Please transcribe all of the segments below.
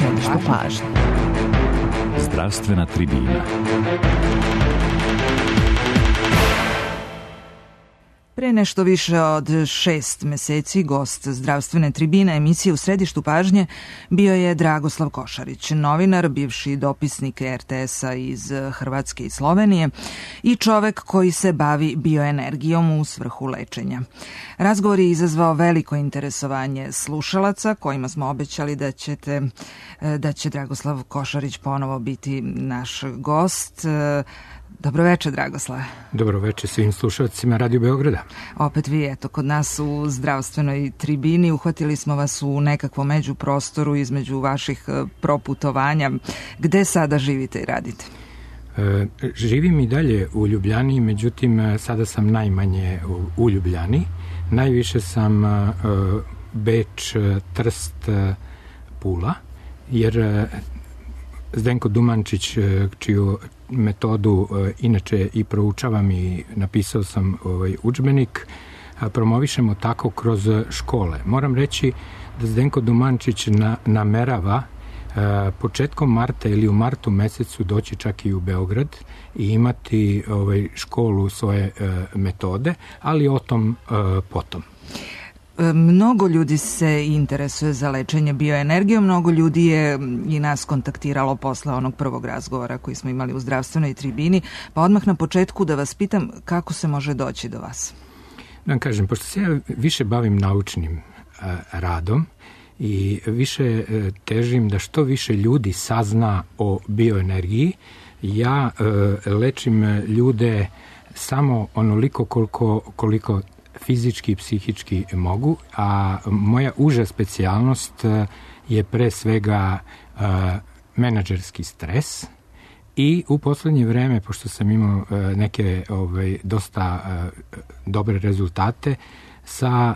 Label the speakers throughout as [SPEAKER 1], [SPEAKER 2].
[SPEAKER 1] središtu pažnje.
[SPEAKER 2] Zdravstvena tribina.
[SPEAKER 1] Pre nešto više od 6 meseci gost zdravstvene tribine emisije U središtu pažnje bio je Dragoslav Košarić, novinar, bivši dopisnik RTS-a iz Hrvatske i Slovenije i čovek koji se bavi bioenergijom u svrhu lečenja. Razgovor je izazvao veliko interesovanje slušalaca kojima smo obećali da će Dragoslav Košarić ponovo biti naš gost. Dobroveče, Dragoslave.
[SPEAKER 3] Dobroveče svim slušalcima Radio Beograda.
[SPEAKER 1] Opet vi, eto, kod nas u zdravstvenoj tribini. Uhvatili smo vas u nekakvom međuprostoru između vaših proputovanja. Gde sada živite i radite?
[SPEAKER 3] Živim i dalje u Ljubljani, međutim, sada sam najmanje u Ljubljani. Najviše sam Beč, Trst, Pula, jer Zdenko Dumančić, čiju metodu inače i proučavam i napisao sam udžbenik, promovišemo tako kroz škole. Moram reći da Zdenko Dumančić namerava početkom marta ili u martu mesecu doći čak i u Beograd i imati školu svoje metode, ali o tom potom.
[SPEAKER 1] Mnogo ljudi se interesuje za lečenje bioenergijom, mnogo ljudi je i nas kontaktiralo posle onog prvog razgovora koji smo imali u zdravstvenoj tribini, pa odmah na početku da vas pitam kako se može doći do vas.
[SPEAKER 3] Da vam kažem, pošto se ja više bavim naučnim radom i više težim da što više ljudi sazna o bioenergiji, ja lečim ljude samo onoliko koliko fizički i psihički mogu, a moja uža specijalnost je pre svega menadžerski stres i u poslednje vreme, pošto sam imao neke dosta dobre rezultate sa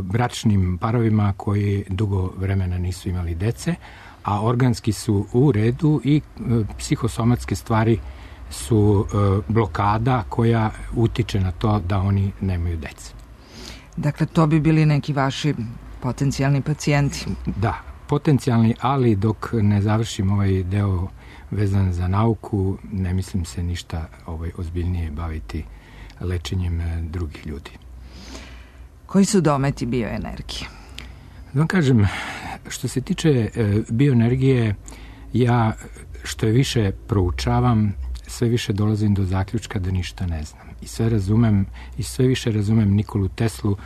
[SPEAKER 3] bračnim parovima koji dugo vremena nisu imali dece, a organski su u redu i psihosomatske stvari su blokada koja utiče na to da oni nemaju dece.
[SPEAKER 1] Dakle, to bi bili neki vaši potencijalni pacijenti.
[SPEAKER 3] Da, potencijalni, ali dok ne završim ovaj deo vezan za nauku, ne mislim se ništa ozbiljnije baviti lečenjem drugih ljudi.
[SPEAKER 1] Koji su dometi bioenergije?
[SPEAKER 3] Da vam kažem, što se tiče bioenergije, ja što je više proučavam, sve više dolazim do zaključka da ništa ne znam. I sve više razumem Nikolu Teslu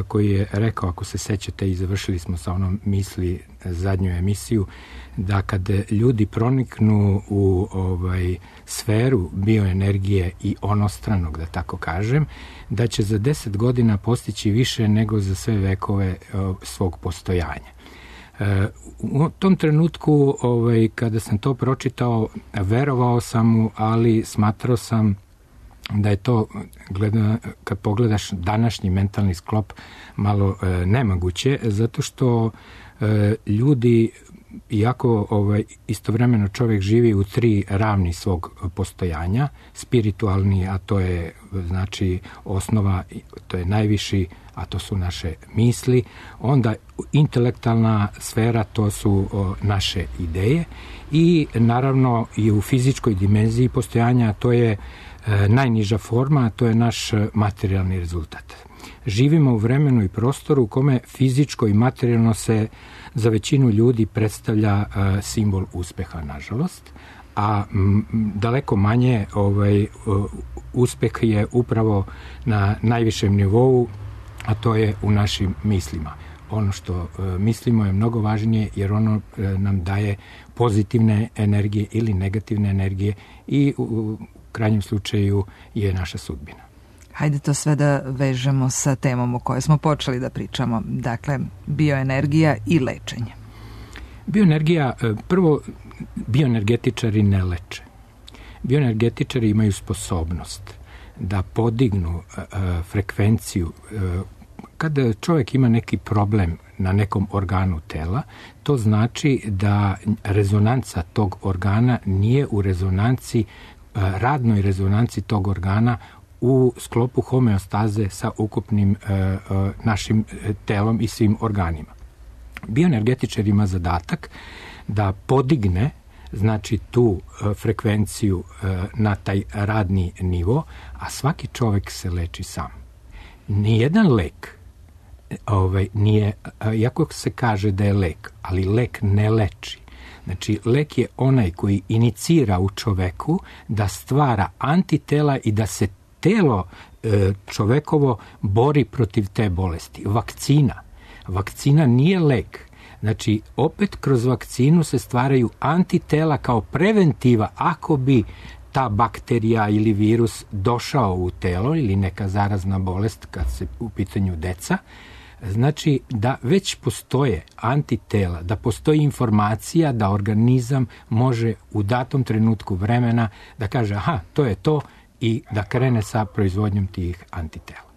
[SPEAKER 3] koji je rekao, ako se sećate, i završili smo sa onom misli zadnju emisiju, da kad ljudi proniknu u sferu bioenergije i onostranog, da tako kažem, da će za 10 godina postići više nego za sve vekove svog postojanja. U tom trenutku, kada sam to pročitao, verovao sam mu, ali smatrao sam da je to, kad pogledaš današnji mentalni sklop, malo nemoguće, zato što ljudi, iako istovremeno čovjek živi u 3 ravni svog postojanja, spiritualni, a to je znači osnova, to je najviši, a to su naše misli, onda intelektualna sfera, to su naše ideje i naravno i u fizičkoj dimenziji postojanja, to je najniža forma, a to je naš materijalni rezultat. Živimo u vremenu i prostoru u kome fizičko i materijalno se za većinu ljudi predstavlja simbol uspeha, nažalost, a daleko manje uspeh je upravo na najvišem nivou, a to je u našim mislima. Ono što mislimo je mnogo važnije, jer ono nam daje pozitivne energije ili negativne energije i u krajnjem slučaju je naša sudbina.
[SPEAKER 1] Hajde to sve da vežemo sa temom o kojoj smo počeli da pričamo. Dakle, bioenergija i lečenje.
[SPEAKER 3] Bioenergija, prvo, bioenergetičari ne leče. Bioenergetičari imaju sposobnost da podignu frekvenciju. Kada čovjek ima neki problem na nekom organu tela, to znači da rezonanca tog organa nije u rezonanci, radnoj rezonanci tog organa u sklopu homeostaze sa ukupnim našim telom i svim organima. Bioenergetičar ima zadatak da podigne znači tu frekvenciju na taj radni nivo, a svaki čovek se leči sam. Nijedan lek nije, iako se kaže da je lek, ali lek ne leči. Znači, lek je onaj koji inicira u čoveku da stvara antitela i da se telo čovekovo bori protiv te bolesti. Vakcina nije lek. Znači, opet kroz vakcinu se stvaraju antitela kao preventiva ako bi ta bakterija ili virus došao u telo ili neka zarazna bolest kad se u pitanju deca. Znači da već postoje antitela, da postoji informacija da organizam može u datom trenutku vremena da kaže aha, to je to i da krene sa proizvodnjom tih antitela.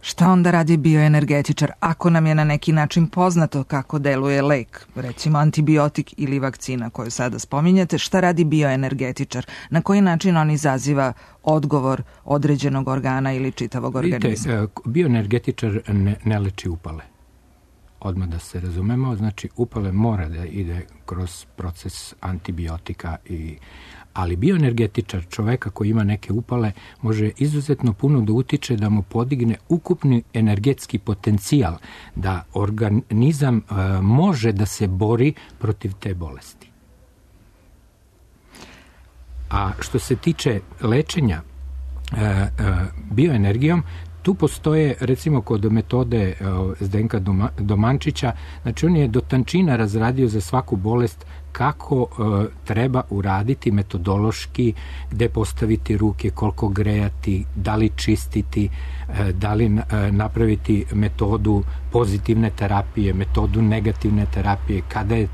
[SPEAKER 1] Šta onda radi bioenergetičar ako nam je na neki način poznato kako deluje lek, recimo antibiotik ili vakcina koju sada spominjete? Šta radi bioenergetičar? Na koji način on izaziva odgovor određenog organa ili čitavog organizma?
[SPEAKER 3] Vidite, bioenergetičar ne leči upale. Odmah da se razumemo, znači upale mora da ide kroz proces antibiotika ali bioenergetičar čoveka koji ima neke upale može izuzetno puno da utiče da mu podigne ukupni energetski potencijal, da organizam može da se bori protiv te bolesti. A što se tiče lečenja bioenergijom, tu postoje, recimo, kod metode Zdenka Domančića, znači on je do tančina razradio za svaku bolest kako treba uraditi metodološki, gde postaviti ruke, koliko grejati, da li čistiti, da li napraviti metodu pozitivne terapije, metodu negativne terapije, kada je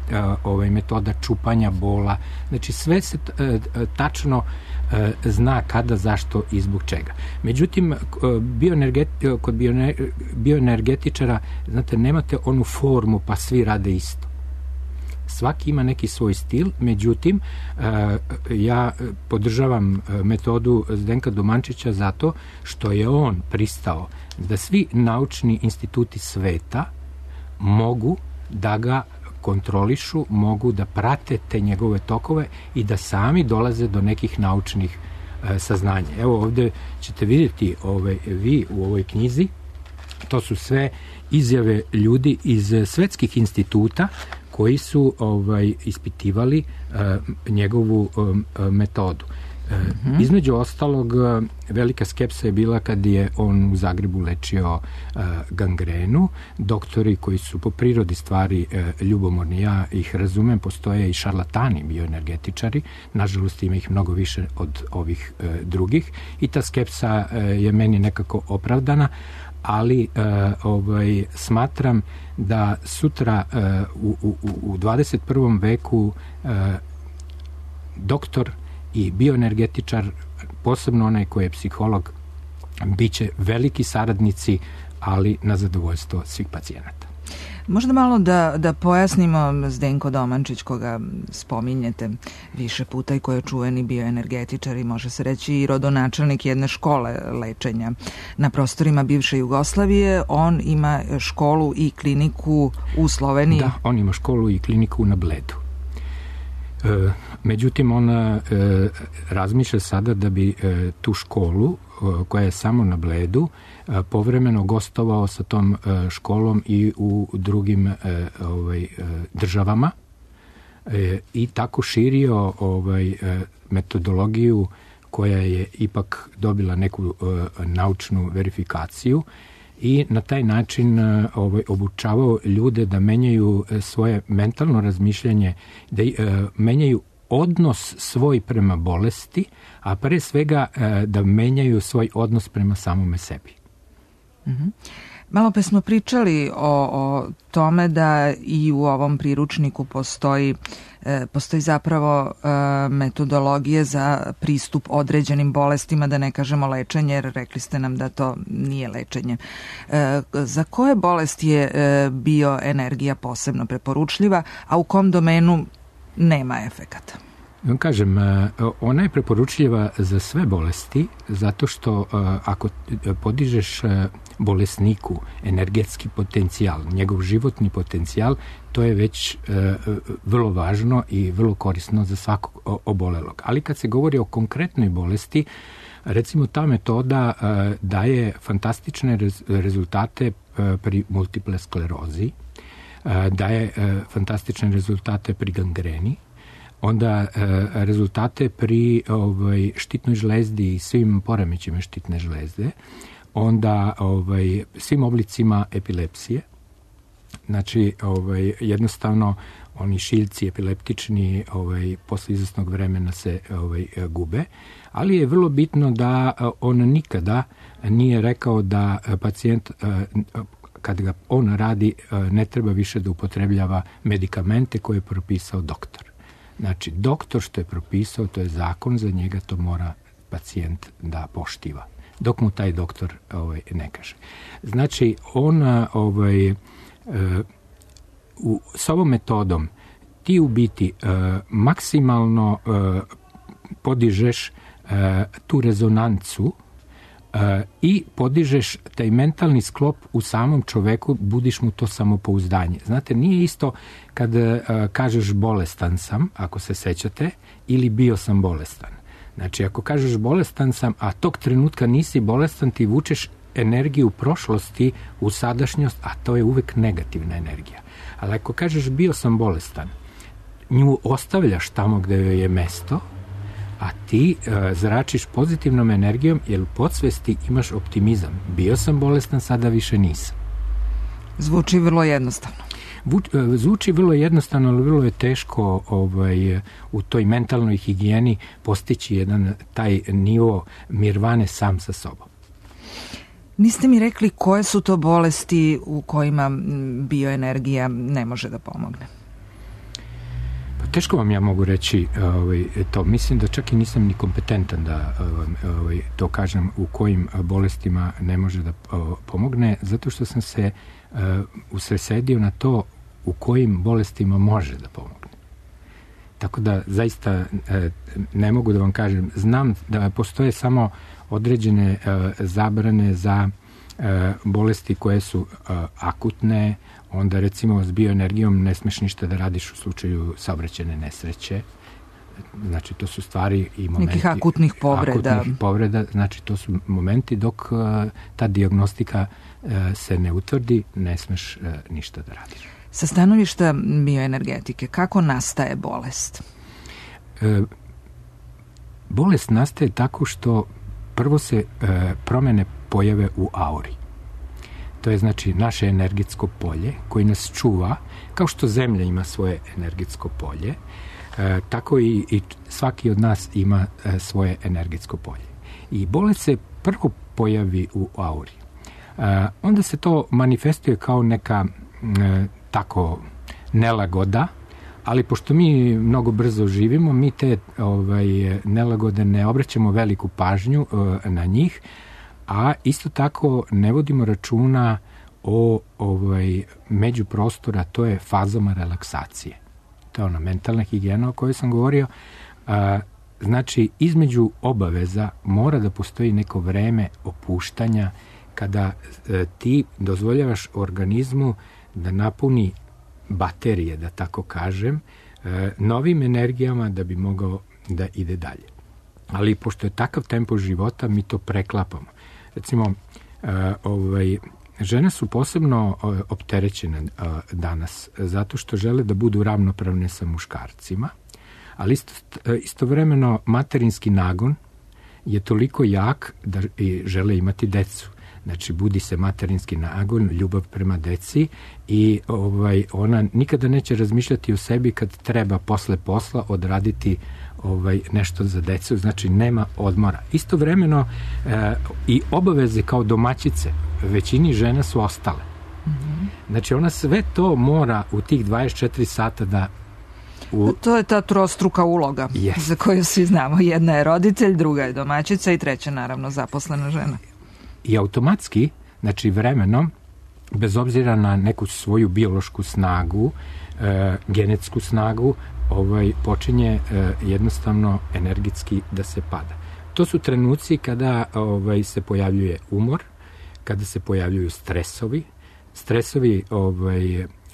[SPEAKER 3] metoda čupanja bola. Znači sve se tačno zna kada, zašto i zbog čega. Međutim, kod bioenergetičara, znate, nemate onu formu pa svi rade isto. Svaki ima neki svoj stil, međutim, ja podržavam metodu Zdenka Domančića zato što je on pristao da svi naučni instituti sveta mogu da ga kontrolišu, mogu da prate te njegove tokove i da sami dolaze do nekih naučnih saznanja. Evo ovde ćete vidjeti vi u ovoj knjizi, to su sve izjave ljudi iz svetskih instituta koji su ispitivali njegovu metodu. Između ostalog, velika skepsa je bila kad je on u Zagrebu lečio gangrenu. Doktori koji su po prirodi stvari ljubomorni, ja ih razumem, postoje i šarlatani bioenergetičari, nažalost ima ih mnogo više od ovih drugih i ta skepsa je meni nekako opravdana, ali smatram da sutra u 21. veku doktor i bioenergetičar, posebno onaj koji je psiholog, bit će veliki saradnici, ali na zadovoljstvo svih pacijenata.
[SPEAKER 1] Možda malo da pojasnimo Zdenko Domančić, koga spominjete više puta i koji je čuveni bioenergetičar i može se reći i rodonačelnik jedne škole lečenja na prostorima bivše Jugoslavije. On ima školu i kliniku u Sloveniji.
[SPEAKER 3] Da, on ima školu i kliniku na Bledu. Međutim, on razmišlja sada da bi tu školu, koja je samo na Bledu, povremeno gostovao sa tom školom i u drugim državama i tako širio metodologiju koja je ipak dobila neku naučnu verifikaciju i na taj način obučavao ljude da menjaju svoje mentalno razmišljanje, da menjaju odnos svoj prema bolesti, a pre svega da menjaju svoj odnos prema samome sebi.
[SPEAKER 1] Malo pa smo pričali o tome da i u ovom priručniku postoji zapravo metodologije za pristup određenim bolestima, da ne kažemo lečenje, jer rekli ste nam da to nije lečenje. Za koje bolesti je bioenergija posebno preporučljiva, a u kom domenu nema efekata?
[SPEAKER 3] Kažem, ona je preporučljiva za sve bolesti, zato što ako podižeš bolesniku energetski potencijal, njegov životni potencijal, to je već vrlo važno i vrlo korisno za svakog obolelog. Ali kad se govori o konkretnoj bolesti, recimo ta metoda daje fantastične rezultate pri multiple sklerozi, daje fantastične rezultate pri gangreni, onda rezultate pri štitnoj žlezdi i svim poremećima štitne žlezde, onda svim oblicima epilepsije. Znači, jednostavno, oni šiljci epileptični posle izvesnog vremena se gube, ali je vrlo bitno da on nikada nije rekao da pacijent, kad ga on radi, ne treba više da upotrebljava medikamente koje je propisao doktor. Znači, doktor što je propisao, to je zakon, za njega to mora pacijent da poštiva, dok mu taj doktor ne kaže. Znači, on s ovom metodom ti u biti maksimalno podižeš tu rezonancu i podižeš taj mentalni sklop u samom čoveku, budiš mu to samopouzdanje. Znate, nije isto kad kažeš bolestan sam, ako se sećate, ili bio sam bolestan. Znači, ako kažeš bolestan sam, a tog trenutka nisi bolestan, ti vučeš energiju prošlosti u sadašnjost, a to je uvek negativna energija. Ali ako kažeš bio sam bolestan, nju ostavljaš tamo gde joj je mesto, a ti zračiš pozitivnom energijom, jer u podsvesti imaš optimizam. Bio sam bolestan, sada više nisam.
[SPEAKER 1] Zvuči vrlo jednostavno.
[SPEAKER 3] Zvuči vrlo jednostavno, ali vrlo je teško u toj mentalnoj higijeni postići jedan taj nivo nirvane sam sa sobom.
[SPEAKER 1] Niste mi rekli koje su to bolesti u kojima bioenergija ne može da pomogne?
[SPEAKER 3] Teško vam ja mogu reći to. Mislim da čak i nisam ni kompetentan da to kažem u kojim bolestima ne može da pomogne, zato što sam se usredsredio na to u kojim bolestima može da pomogne. Tako da zaista ne mogu da vam kažem. Znam da postoje samo određene zabrane za bolesti koje su akutne, onda recimo s bioenergijom ne smeš ništa da radiš u slučaju saobraćajne nesreće. Znači, to su stvari i momenti...
[SPEAKER 1] Nekih akutnih povreda.
[SPEAKER 3] Znači, to su momenti dok ta dijagnostika se ne utvrdi, ne smeš ništa da radiš.
[SPEAKER 1] Sa stanovišta bioenergetike, kako nastaje bolest?
[SPEAKER 3] Bolest nastaje tako što prvo se promene pojave u auri. To je znači naše energetsko polje koje nas čuva, kao što Zemlja ima svoje energetsko polje, tako i svaki od nas ima svoje energetsko polje. I bolest se prvo pojavi u auri. Onda se to manifestuje kao neka tako nelagoda, ali pošto mi mnogo brzo živimo, mi te nelagode ne obraćamo veliku pažnju na njih, a isto tako ne vodimo računa o međuprostora, to je fazama relaksacije. To je ona mentalna higijena o kojoj sam govorio. Znači, između obaveza mora da postoji neko vreme opuštanja kada ti dozvoljavaš organizmu da napuni baterije, da tako kažem, novim energijama da bi mogao da ide dalje. Ali pošto je takav tempo života, mi to preklapamo. Recimo, žene su posebno opterećene danas zato što žele da budu ravnopravne sa muškarcima, ali istovremeno materinski nagon je toliko jak da žele imati decu. Znači, budi se materinski nagon, ljubav prema deci i ona nikada neće razmišljati o sebi kad treba posle posla odraditi nešto za decu, znači nema odmora. Istovremeno i obaveze kao domaćice većini žena su ostale. Znači, ona sve to mora u tih 24 sata da...
[SPEAKER 1] To je ta trostruka uloga za koju svi znamo. Jedna je roditelj, druga je domaćica i treća, naravno, zaposlena žena.
[SPEAKER 3] I automatski, znači vremenom, bez obzira na neku svoju biološku snagu, genetsku snagu, počinje jednostavno energetski da se pada. To su trenuci kada se pojavljuje umor, kada se pojavljuju stresovi. Stresovi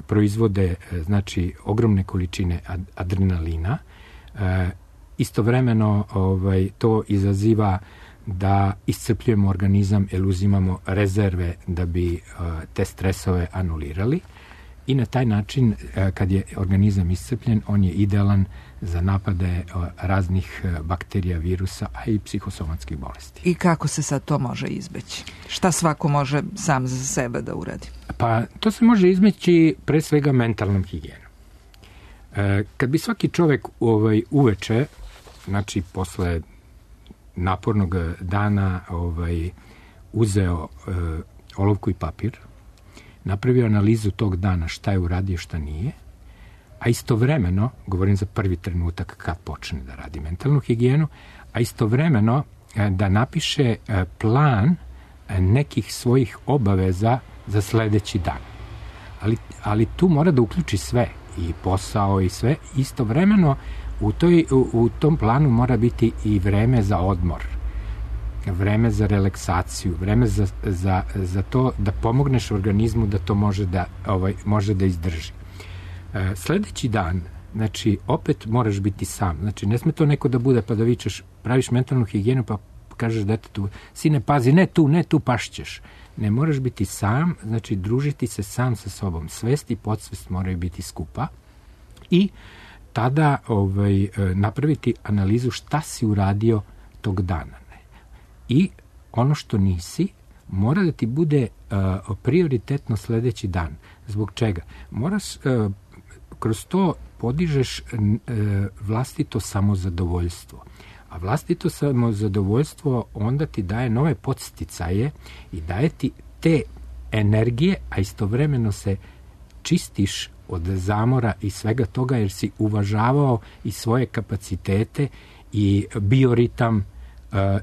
[SPEAKER 3] proizvode znači ogromne količine adrenalina. Istovremeno to izaziva da iscrpljujemo organizam jer uzimamo rezerve da bi te stresove anulirali i na taj način kad je organizam iscrpljen on je idealan za napade raznih bakterija, virusa, a i psihosomatskih bolesti.
[SPEAKER 1] I kako se sad to može izbeći? Šta svako može sam za sebe da uradi?
[SPEAKER 3] Pa to se može izbeći pre svega mentalnom higijenom. Kad bi svaki čovek uveče, znači posle napornog dana uzeo olovku i papir, napravio analizu tog dana šta je uradio, šta nije, a istovremeno, govorim za prvi trenutak kad počne da radi mentalnu higijenu, a istovremeno da napiše plan nekih svojih obaveza za sledeći dan. Ali tu mora da uključi sve, i posao i sve. Istovremeno u tom planu mora biti i vreme za odmor, vreme za relaksaciju, vreme za to da pomogneš organizmu da to može da izdrži. Sledeći dan, znači, opet moraš biti sam. Znači, ne sme to neko da bude pa da vičeš, praviš mentalnu higijenu pa kažeš detetu, sine, pazi, ne tu, pašćeš. Ne, moraš biti sam, znači, družiti se sam sa sobom. Svest i podsvest moraju biti skupa i tada napraviti analizu šta si uradio tog dana. I ono što nisi, mora da ti bude prioritetno sledeći dan. Zbog čega? Moraš kroz to podižeš vlastito samozadovoljstvo. A vlastito samozadovoljstvo onda ti daje nove podsticaje i daje ti te energije, a istovremeno se čistiš od zamora i svega toga jer si uvažavao i svoje kapacitete i bioritam,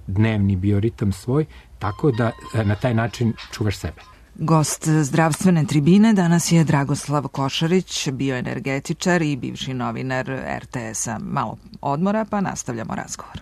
[SPEAKER 3] dnevni bioritam svoj, tako da na taj način čuvaš sebe.
[SPEAKER 1] Gost zdravstvene tribine danas je Dragoslav Košarić, bioenergetičar i bivši novinar RTS-a. Malo odmora pa nastavljamo razgovor.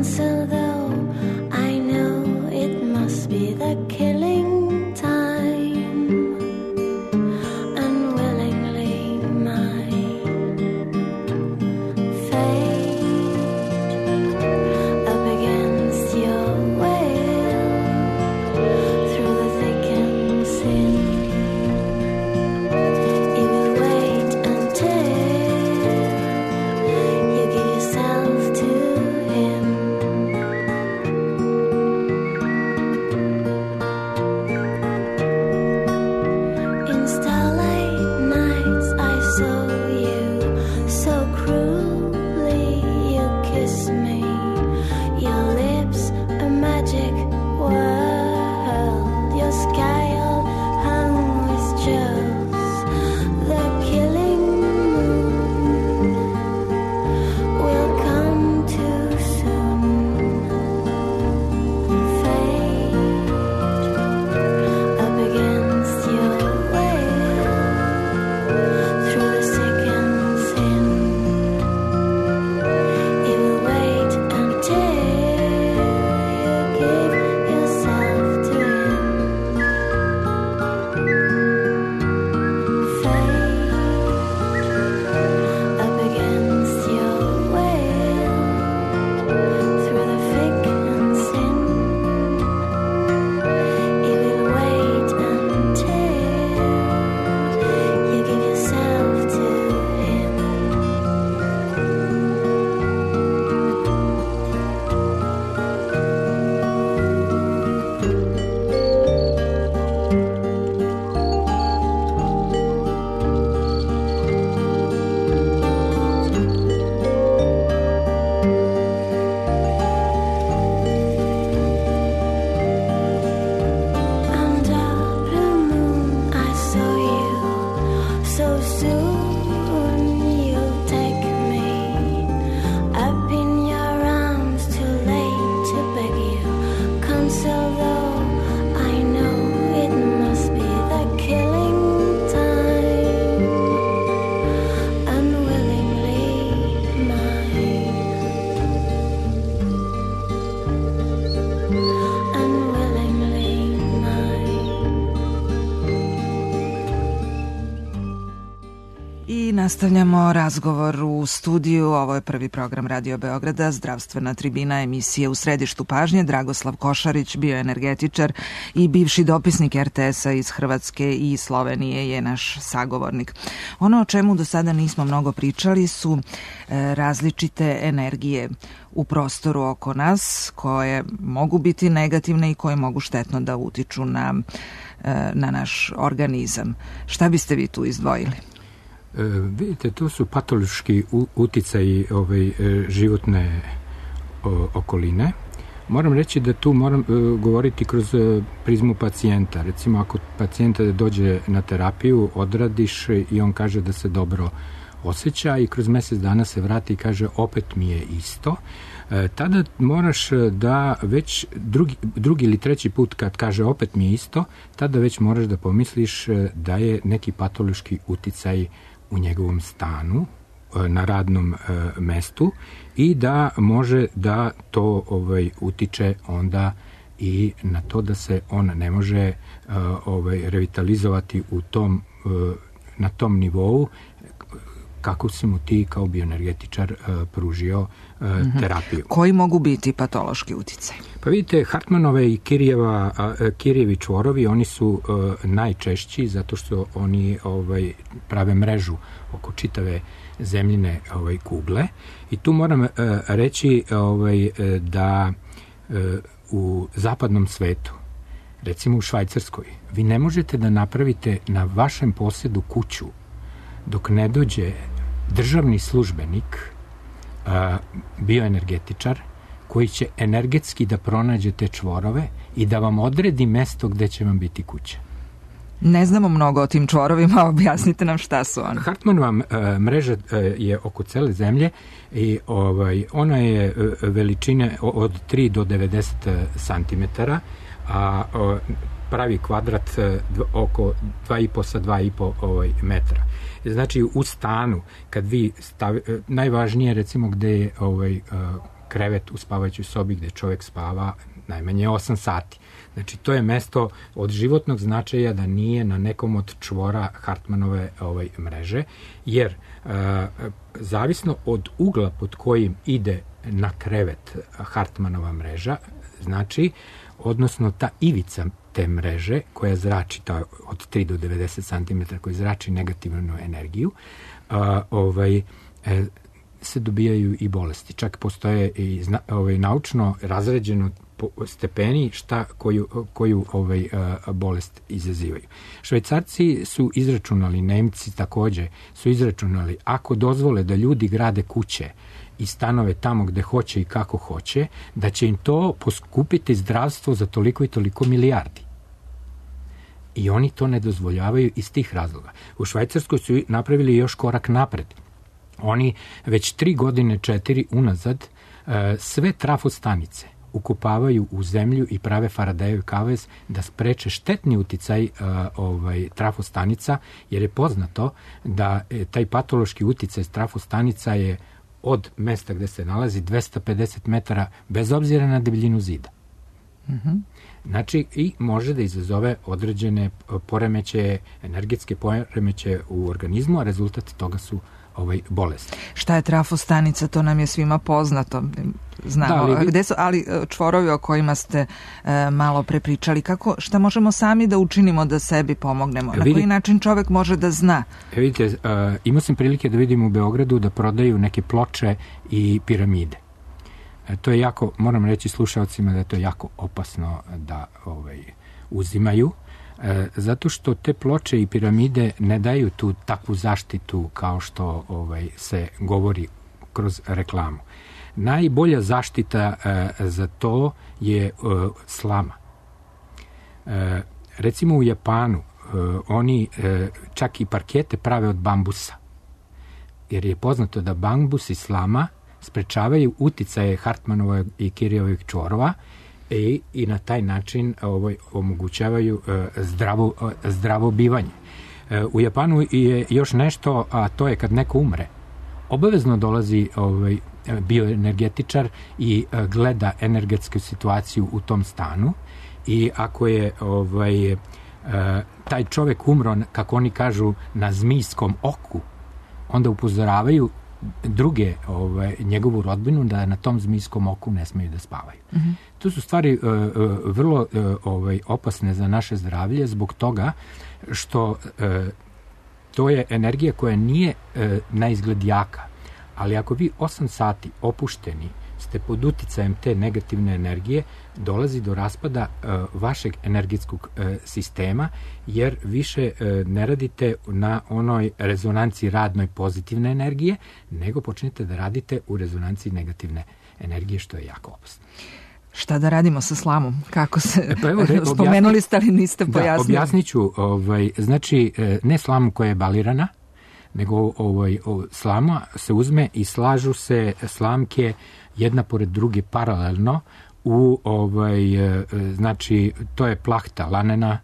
[SPEAKER 4] So though I
[SPEAKER 1] I nastavljamo razgovor u studiju. Ovo je prvi program Radio Beograda, zdravstvena tribina, emisije U središtu pažnje. Dragoslav Košarić, bioenergetičar i bivši dopisnik RTS-a iz Hrvatske i Slovenije, je naš sagovornik. Ono o čemu do sada nismo mnogo pričali su različite energije u prostoru oko nas, koje mogu biti negativne i koje mogu štetno da utiču na naš organizam. Šta biste vi tu izdvojili?
[SPEAKER 3] Vidite, to su patološki uticaji životne okoline. Moram reći da tu moram govoriti kroz prizmu pacijenta. Recimo, ako pacijenta dođe na terapiju, odradiš i on kaže da se dobro osjeća i kroz mjesec dana se vrati i kaže opet mi je isto, tada moraš da već drugi ili treći put kad kaže opet mi je isto, tada već moraš da pomisliš da je neki patološki uticaj u njegovom stanu, na radnom mestu i da može da to utiče onda i na to da se on ne može revitalizovati na tom nivou kako si mu ti kao bioenergetičar pružio terapiju.
[SPEAKER 1] Koji mogu biti patološki uticaj?
[SPEAKER 3] Pa vidite, Hartmanove i Kirijevi čvorovi, oni su najčešći zato što oni prave mrežu oko čitave zemljine kugle i tu moram reći da u zapadnom svetu, recimo u Švajcarskoj, vi ne možete da napravite na vašem posjedu kuću dok ne dođe državni službenik, bioenergetičar, koji će energetski da pronađe te čvorove i da vam odredi mesto gde će vam biti kuća.
[SPEAKER 1] Ne znamo mnogo o tim čvorovima, objasnite nam šta su oni.
[SPEAKER 3] Hartmanova mreža je oko cele zemlje i ona je veličine od 3 do 90 cm, a pravi kvadrat oko 2,5 sa 2,5 metra. Znači, u stanu, kad vi najvažnije, recimo, gde je krevet u spavajućoj sobi gde čovjek spava najmanje 8 sati. Znači, to je mesto od životnog značaja da nije na nekom od čvora Hartmanove mreže, jer zavisno od ugla pod kojim ide na krevet Hartmanova mreža, znači, odnosno ta ivica te mreže koja zrači od 3 do 90 cm, koja zrači negativnu energiju, se dobijaju i bolesti. Čak postoje i naučno razređeno stepeni koju bolest izazivaju. Švajcarci su izračunali, Nemci takođe su izračunali, ako dozvole da ljudi grade kuće i stanove tamo gde hoće i kako hoće, da će im to poskupiti zdravstvo za toliko i toliko milijardi. I oni to ne dozvoljavaju iz tih razloga. U Švajcarskoj su napravili još korak napred. Oni već 3 godine, 4 unazad, sve trafostanice ukopavaju u zemlju i prave Faradayev kavez da spreče štetni uticaj trafostanica, jer je poznato da taj patološki uticaj trafostanica je od mesta gde se nalazi 250 metara bez obzira na debljinu zida. Znači, i može da izazove određene poremećaje, energetske poremećaje u organizmu, a rezultat toga su bolesti.
[SPEAKER 1] Šta je trafostanica, to nam je svima poznato. Znamo, gde su, ali čvorovi o kojima ste malo prepričali, šta možemo sami da učinimo da sebi pomognemo? Na koji način čovek može da zna?
[SPEAKER 3] Vidite, imao sam prilike da vidim u Beogradu da prodaju neke ploče i piramide. To je jako, moram reći slušalcima da je to jako opasno da uzimaju, zato što te ploče i piramide ne daju tu takvu zaštitu kao što se govori kroz reklamu. Najbolja zaštita za to je slama. Recimo u Japanu oni čak i parkete prave od bambusa, jer je poznato da bambus i slama sprečavaju uticaje Hartmanova i Kirijevih čvorova i na taj način omogućavaju zdravo bivanje. U Japanu je još nešto, a to je kad neko umre, obavezno dolazi bioenergetičar i gleda energetsku situaciju u tom stanu i ako je taj čovek umro, kako oni kažu, na zmijskom oku, onda upozoravaju druge njegovu rodbinu da na tom zmijskom oku ne smeju da spavaju. To su stvari vrlo opasne za naše zdravlje zbog toga što to je energija koja nije na izgled jaka, ali ako vi 8 sati opušteni ste pod uticajem te negativne energije, dolazi do raspada vašeg energetskog sistema, jer više ne radite na onoj rezonanciji radnoj pozitivne energije, nego počnete da radite u rezonanciji negativne energije, što je jako opasno.
[SPEAKER 1] Šta da radimo sa slamom? Kako se... Spomenuli ste, ali niste pojasnili.
[SPEAKER 3] Objasnit ću. Znači, ne slamu koja je balirana, nego slama se uzme i slažu se slamke jedna pored druge paralelno znači, to je plahta lanena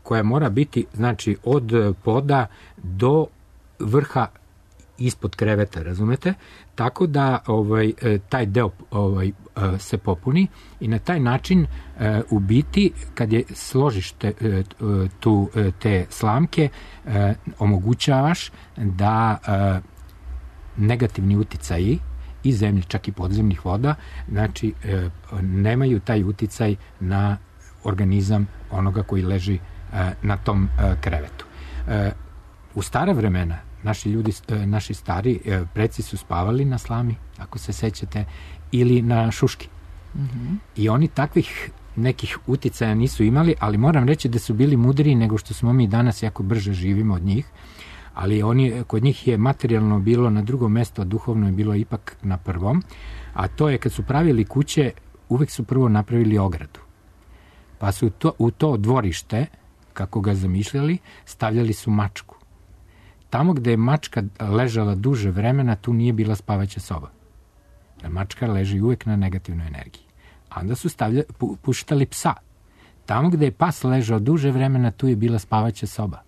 [SPEAKER 3] koja mora biti, znači, od poda do vrha ispod kreveta, razumete? Tako da taj deo se popuni i na taj način u biti, kad je složiš te slamke, omogućavaš da negativni uticaji i zemlje, čak i podzemnih voda, znači nemaju taj uticaj na organizam onoga koji leži na tom krevetu. U stara vremena naši stari preci su spavali na slami, ako se sećate, ili na šuški. I oni takvih nekih uticaja nisu imali, ali moram reći da su bili mudriji nego što smo mi danas, jako brže živimo od njih, ali kod njih je materijalno bilo na drugom mestu, a duhovno je bilo ipak na prvom, a to je kad su pravili kuće, uvek su prvo napravili ogradu. Pa su u to dvorište, kako ga zamišljali, stavljali su mačku. Tamo gde je mačka ležala duže vremena, tu nije bila spavaća soba. Jer mačka leži uvek na negativnoj energiji. A onda su puštali psa. Tamo gde je pas ležao duže vremena, tu je bila spavaća soba.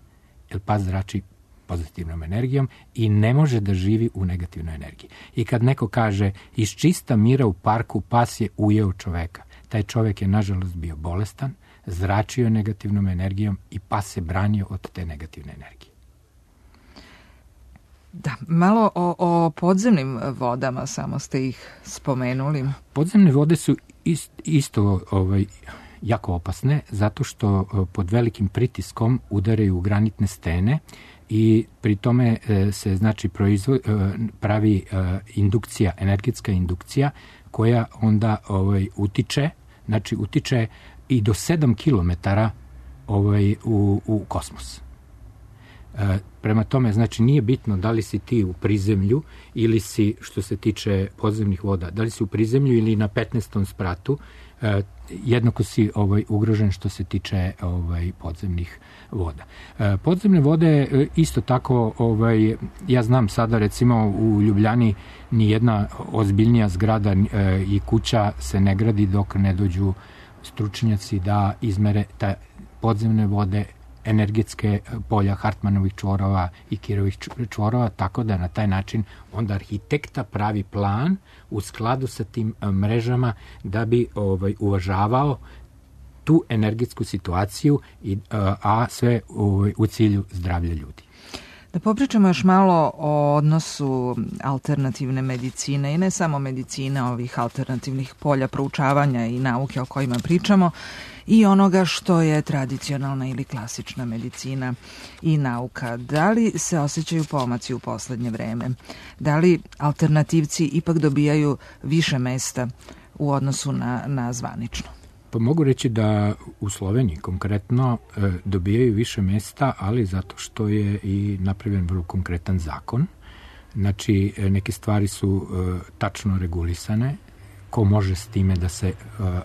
[SPEAKER 3] Jer pas zrači pozitivnom energijom i ne može da živi u negativnoj energiji. I kad neko kaže iz čista mira u parku pas je ujeo čoveka, taj čovek je nažalost bio bolestan, zračio negativnom energijom i pas se branio od te negativne energije.
[SPEAKER 1] Da, malo o podzemnim vodama, samo ste ih spomenuli.
[SPEAKER 3] Podzemne vode su isto jako opasne, zato što pod velikim pritiskom udaraju u granitne stene i pri tome se, znači, pravi indukcija, energetska indukcija, koja onda utiče i do 7 kilometara u kosmos. Prema tome, znači, nije bitno da li si ti u prizemlju ili si, što se tiče podzemnih voda, da li si u prizemlju ili na 15. spratu, jednako si ugrožen što se tiče podzemnih voda. Podzemne vode isto tako, ja znam sada, recimo u Ljubljani nijedna ozbiljnija zgrada i kuća se ne gradi dok ne dođu stručnjaci da izmere te podzemne vode, energetske polja Hartmanovih čvorova i Kirovih čvorova, tako da na taj način onda arhitekta pravi plan u skladu sa tim mrežama da bi uvažavao tu energetsku situaciju, a sve u cilju zdravlja ljudi.
[SPEAKER 1] Da popričamo još malo o odnosu alternativne medicine i ne samo medicine, ovih alternativnih polja proučavanja i nauke o kojima pričamo, i onoga što je tradicionalna ili klasična medicina i nauka. Da li se osjećaju pomaci u poslednje vreme? Da li alternativci ipak dobijaju više mesta u odnosu na zvanično?
[SPEAKER 3] Pa mogu reći da u Sloveniji konkretno dobijaju više mesta, ali zato što je i napravljen vrlo konkretan zakon. Znači, neke stvari su tačno regulisane, ko može s time da se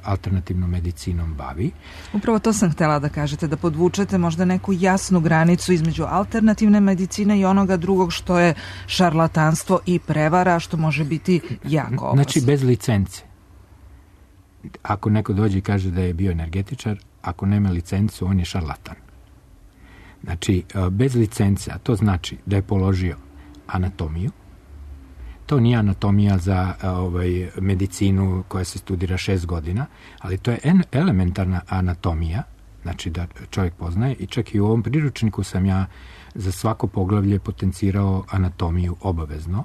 [SPEAKER 3] alternativnom medicinom bavi.
[SPEAKER 1] Upravo to sam htela da kažete, da podvučete možda neku jasnu granicu između alternativne medicine i onoga drugog što je šarlatanstvo i prevara, što može biti jako opasno.
[SPEAKER 3] Znači, bez licence. Ako neko dođe i kaže da je bioenergetičar, ako nema licencu, on je šarlatan. Znači, bez licence, a to znači da je položio anatomiju. To nije anatomija za medicinu koja se studira 6 godina, ali to je elementarna anatomija znači da čovjek poznaje, i čak i u ovom priručniku sam ja za svako poglavlje potencirao anatomiju obavezno.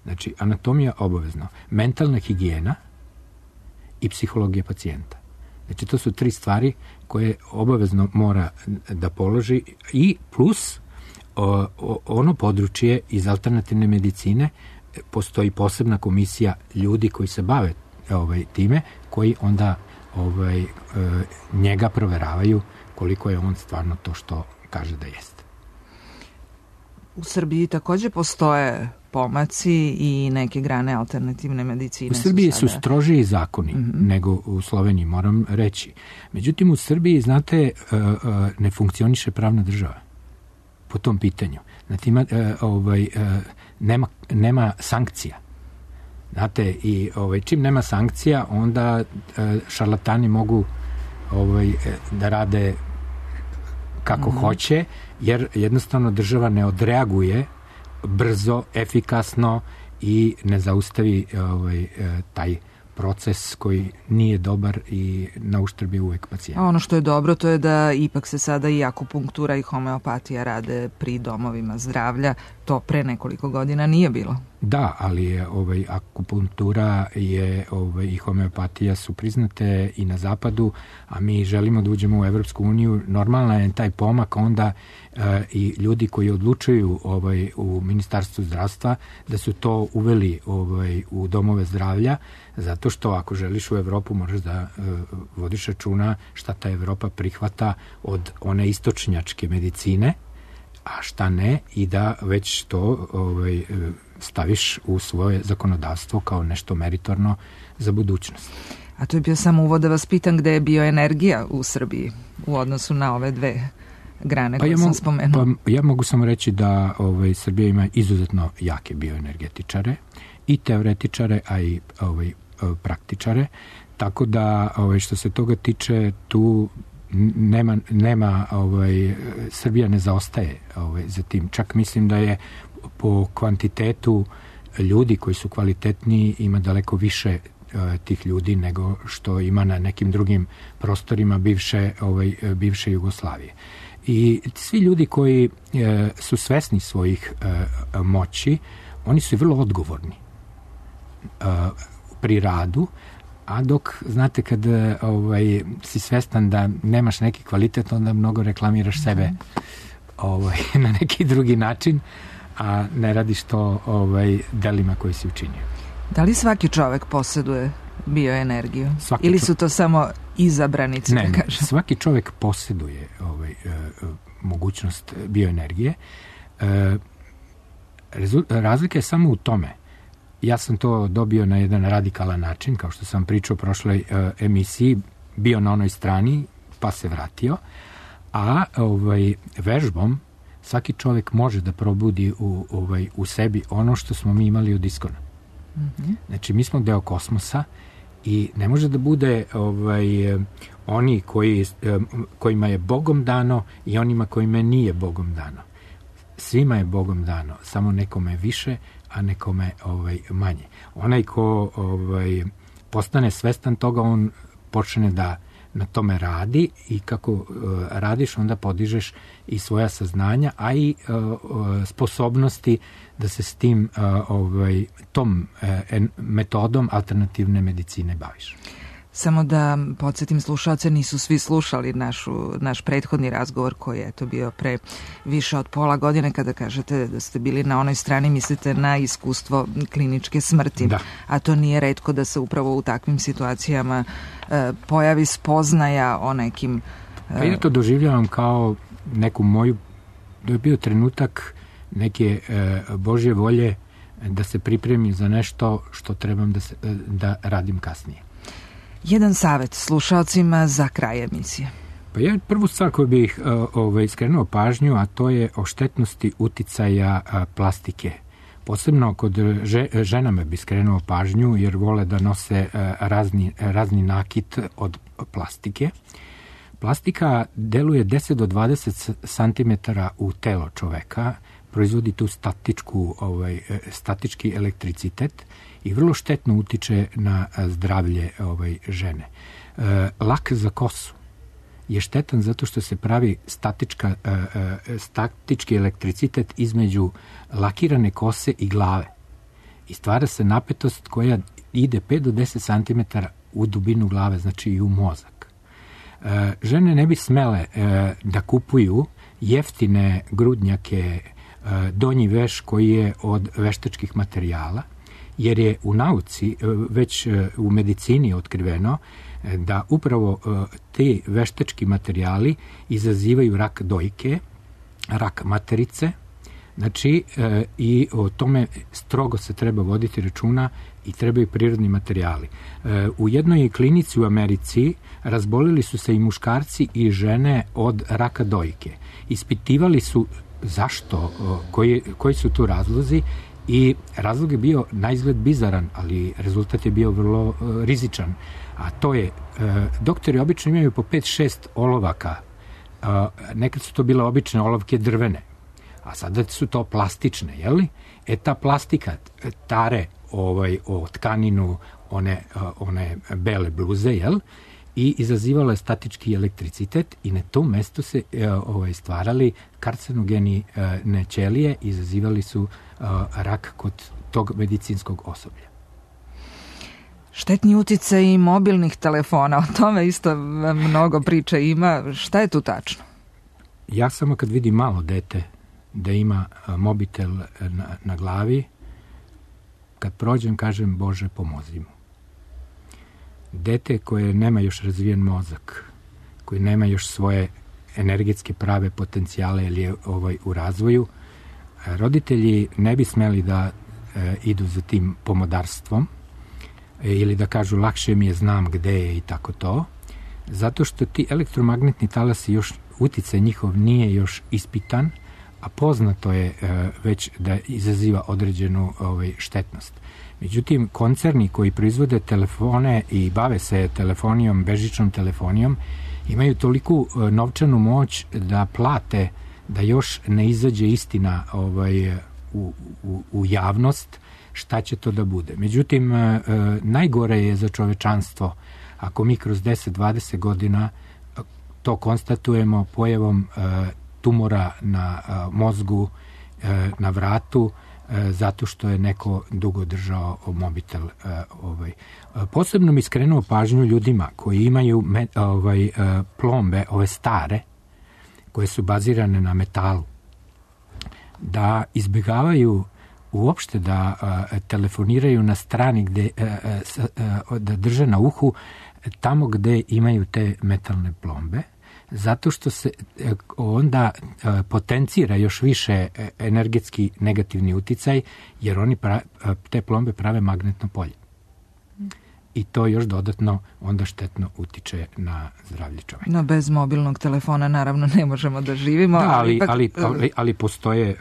[SPEAKER 3] Znači, anatomija obavezno, mentalna higijena i psihologija pacijenta. Znači, to su 3 stvari koje obavezno mora da položi, i plus ono područje iz alternativne medicine, postoji posebna komisija ljudi koji se bave time, koji onda njega proveravaju koliko je on stvarno to što kaže da jeste.
[SPEAKER 1] U Srbiji takođe postoje pomaci i neke grane alternativne medicine.
[SPEAKER 3] U Srbiji su strožiji zakoni nego u Sloveniji, moram reći. Međutim, u Srbiji, znate, ne funkcioniše pravna država po tom pitanju. Znači, nema sankcija. Znate, i čim nema sankcija, onda šarlatani mogu da rade kako hoće, jer jednostavno država ne odreaguje brzo, efikasno i ne zaustavi taj proces koji nije dobar i na uštrb je uvek pacijenta.
[SPEAKER 1] A ono što je dobro, to je da ipak se sada i akupunktura i homeopatija rade pri domovima zdravlja. To pre nekoliko godina nije bilo.
[SPEAKER 3] Da, ali je akupunktura i homeopatija su priznate i na zapadu, a mi želimo da uđemo u Evropsku uniju. Normalno je taj pomak onda i ljudi koji odlučuju u Ministarstvu zdravstva da su to uveli u domove zdravlja, zato što ako želiš u Evropu moraš da vodiš računa šta ta Evropa prihvata od one istočnjačke medicine, a šta ne, i da već to staviš u svoje zakonodavstvo kao nešto meritorno za budućnost.
[SPEAKER 1] A to je bio samo uvod da vas pitam gde je bioenergija u Srbiji u odnosu na ove 2 grane koje sam spomenuo.
[SPEAKER 3] Ja mogu samo reći da Srbija ima izuzetno jake bioenergetičare i teoretičare, a i praktičare, tako da što se toga tiče, tu nema Srbija ne zaostaje za tim. Čak mislim da je po kvantitetu ljudi koji su kvalitetni ima daleko više tih ljudi nego što ima na nekim drugim prostorima bivše Jugoslavije. I svi ljudi koji su svesni svojih moći, oni su vrlo odgovorni pri radu, a dok, znate, kad si svestan da nemaš neki kvalitet, onda mnogo reklamiraš sebe na neki drugi način, a ne radiš to delima koje si učinio.
[SPEAKER 1] Da li svaki čovek posjeduje bioenergiju? Ili su to samo izabranici, da kažem?
[SPEAKER 3] Ne, svaki čovek posjeduje mogućnost bioenergije. Razlika je samo u tome. Ja sam to dobio na jedan radikalan način, kao što sam pričao u prošloj emisiji, bio na onoj strani, pa se vratio, a vežbom svaki čovjek može da probudi u sebi ono što smo mi imali od iskona. Znači, mi smo deo kosmosa i ne može da bude oni kojima je Bogom dano i onima kojima nije Bogom dano. Svima je Bogom dano, samo nekome više, a nekome manje. Onaj ko postane svestan toga, on počne da na tome radi i kako radiš, onda podižeš i svoja saznanja, a i sposobnosti da se s tim tom metodom alternativne medicine baviš.
[SPEAKER 1] Samo da podsjetim slušalce, nisu svi slušali naš prethodni razgovor koji je to bio pre više od pola godine. Kada kažete da ste bili na onoj strani, mislite na iskustvo kliničke smrti. Da. A to nije retko da se upravo u takvim situacijama pojavi spoznaja o nekim...
[SPEAKER 3] Pa ja to doživljavam kao neku moju... Da je bio trenutak neke Božje volje da se pripremim za nešto što trebam da radim kasnije.
[SPEAKER 1] Jedan savjet slušalcima za kraj emisije.
[SPEAKER 3] Pa ja prvu stvar koju bih skrenuo pažnju, a to je o štetnosti uticaja plastike. Posebno kod ženama bi skrenuo pažnju, jer vole da nose razni nakit od plastike. Plastika deluje 10 do 20 cm u telo čoveka, proizvodi tu statički elektricitet i vrlo štetno utiče na zdravlje žene. Lak za kosu je štetan zato što se pravi statički elektricitet između lakirane kose i glave. I stvara se napetost koja ide 5 do 10 cm u dubinu glave, znači i u mozak. Žene ne bi smele da kupuju jeftine grudnjake, donji veš koji je od veštačkih materijala, jer je u nauci, već u medicini otkriveno da upravo te veštački materijali izazivaju rak dojke, rak materice, znači i o tome strogo se treba voditi računa i trebaju prirodni materijali. U jednoj klinici u Americi razbolili su se i muškarci i žene od raka dojke. Ispitivali su zašto, koji su tu razlozi, i razlog je bio naizgled bizaran, ali rezultat je bio vrlo rizičan. A to je, doktori obično imaju po 5-6 olovaka. Nekad su to bile obične olovke drvene, a sada su to plastične, jeli? Ta plastika tare o tkaninu one bele bluze, jel? I izazivala je statički elektricitet i na tom mestu se stvarali karcinogeni ćelije, izazivali su rak kod tog medicinskog osoblja.
[SPEAKER 1] Štetni uticaj i mobilnih telefona, o tome isto mnogo priča ima. Šta je tu tačno?
[SPEAKER 3] Ja samo kad vidim malo dete da ima mobitel na glavi, kad prođem kažem Bože pomozi mu. Dete koje nema još razvijen mozak, koje nema još svoje energetske prave potencijale ili je u razvoju, roditelji ne bi smeli da idu za tim pomodarstvom ili da kažu lakše mi je, znam gde je i tako to, zato što ti elektromagnetni talasi, još uticaj njihov nije još ispitan, a poznato je već da izaziva određenu štetnost. Međutim, koncerni koji proizvode telefone i bave se telefonijom, bežičnom telefonijom, imaju toliku novčanu moć da plate da još ne izađe istina u javnost šta će to da bude. Međutim, najgore je za čovečanstvo ako mi kroz 10-20 godina to konstatujemo pojavom tumora na mozgu, na vratu, zato što je neko dugo držao mobitel. Posebno mi skrenuo pažnju ljudima koji imaju plombe, ove stare, koje su bazirane na metalu, da izbjegavaju uopšte da telefoniraju na strani da drže na uhu tamo gde imaju te metalne plombe, zato što se onda potencira još više energetski negativni uticaj, jer oni te plombe prave magnetno polje. I to još dodatno onda štetno utiče na zdravlje čoveka.
[SPEAKER 1] No, bez mobilnog telefona naravno ne možemo da živimo.
[SPEAKER 3] Da, ali postoje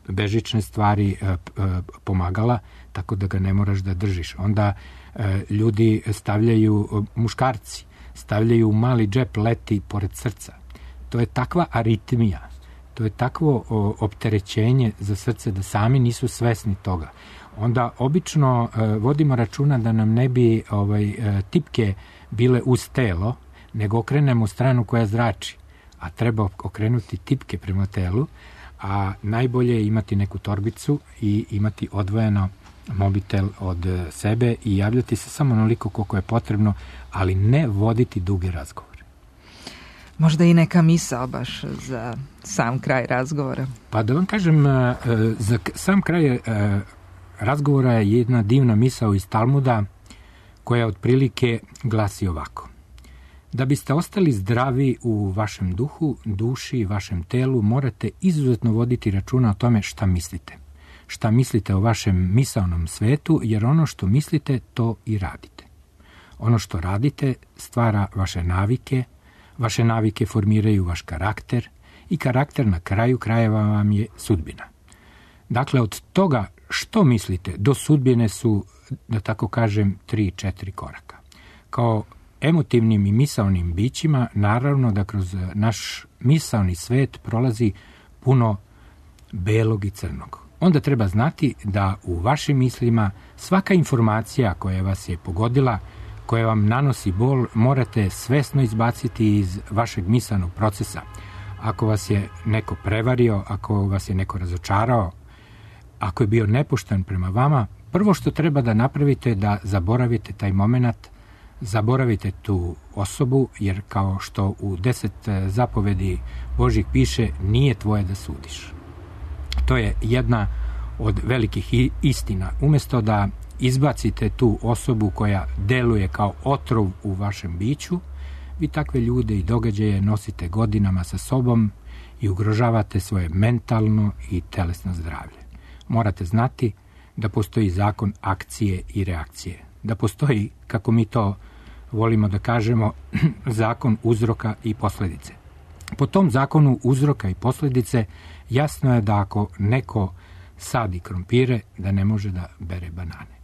[SPEAKER 3] bežične stvari, pomagala, tako da ga ne moraš da držiš. Onda ljudi stavljaju, muškarci, stavljaju u mali džep, leti pored srca. To je takva aritmija, to je takvo opterećenje za srce da sami nisu svesni toga. Onda obično vodimo računa da nam ne bi tipke bile uz telo, nego okrenemo u stranu koja zrači, a treba okrenuti tipke prema telu, a najbolje je imati neku torbicu i imati odvojeno mobitel od sebe i javljati se samo onoliko koliko je potrebno, ali ne voditi duge razgovore.
[SPEAKER 1] Možda i neka misao baš za sam kraj razgovora.
[SPEAKER 3] Pa da vam kažem, za sam kraj razgovora je jedna divna misao iz Talmuda koja otprilike glasi ovako. Da biste ostali zdravi u vašem duhu, duši i vašem telu, morate izuzetno voditi računa o tome šta mislite. Šta mislite o vašem misaonom svetu, jer ono što mislite, to i radite. Ono što radite stvara vaše navike formiraju vaš karakter i karakter na kraju krajeva vam je sudbina. Dakle, od toga što mislite do sudbine su, da tako kažem, 3-4 koraka. Kao emotivnim i misaonim bićima, naravno da kroz naš misaoni svet prolazi puno belog i crnog. Onda treba znati da u vašim mislima svaka informacija koja vas je pogodila, koje vam nanosi bol morate svesno izbaciti iz vašeg misanog procesa. Ako vas je neko prevario, ako vas je neko razočarao, ako je bio nepošten prema vama, prvo što treba da napravite je da zaboravite taj moment, zaboravite tu osobu, jer kao što u 10 zapovedi Božjih piše, nije tvoje da sudiš. To je jedna od velikih istina. Umjesto da izbacite tu osobu koja deluje kao otrov u vašem biću, vi takve ljude i događaje nosite godinama sa sobom i ugrožavate svoje mentalno i telesno zdravlje. Morate znati da postoji zakon akcije i reakcije. Da postoji, kako mi to volimo da kažemo, zakon uzroka i posljedice. Po tom zakonu uzroka i posljedice jasno je da ako neko sadi krompire, da ne može da bere banane.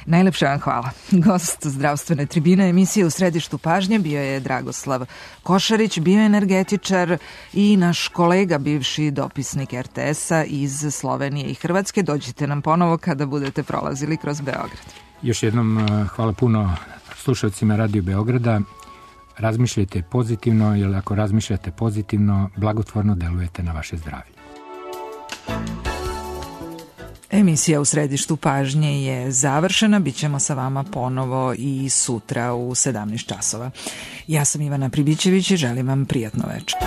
[SPEAKER 1] Najlepše vam hvala. Gost zdravstvene tribine emisije U središtu pažnje bio je Dragoslav Košarić, bioenergetičar i naš kolega, bivši dopisnik RTS-a iz Slovenije i Hrvatske. Dođite nam ponovo kada budete prolazili kroz Beograd.
[SPEAKER 3] Još jednom hvala puno slušalcima Radio Beograda. Razmišljajte pozitivno, jer ako razmišljate pozitivno, blagotvorno delujete na vaše zdravlje.
[SPEAKER 1] Emisija U središtu pažnje je završena. Bićemo sa vama ponovo i sutra u 17 časova. Ja sam Ivana Pribićević i želim vam prijatno večer.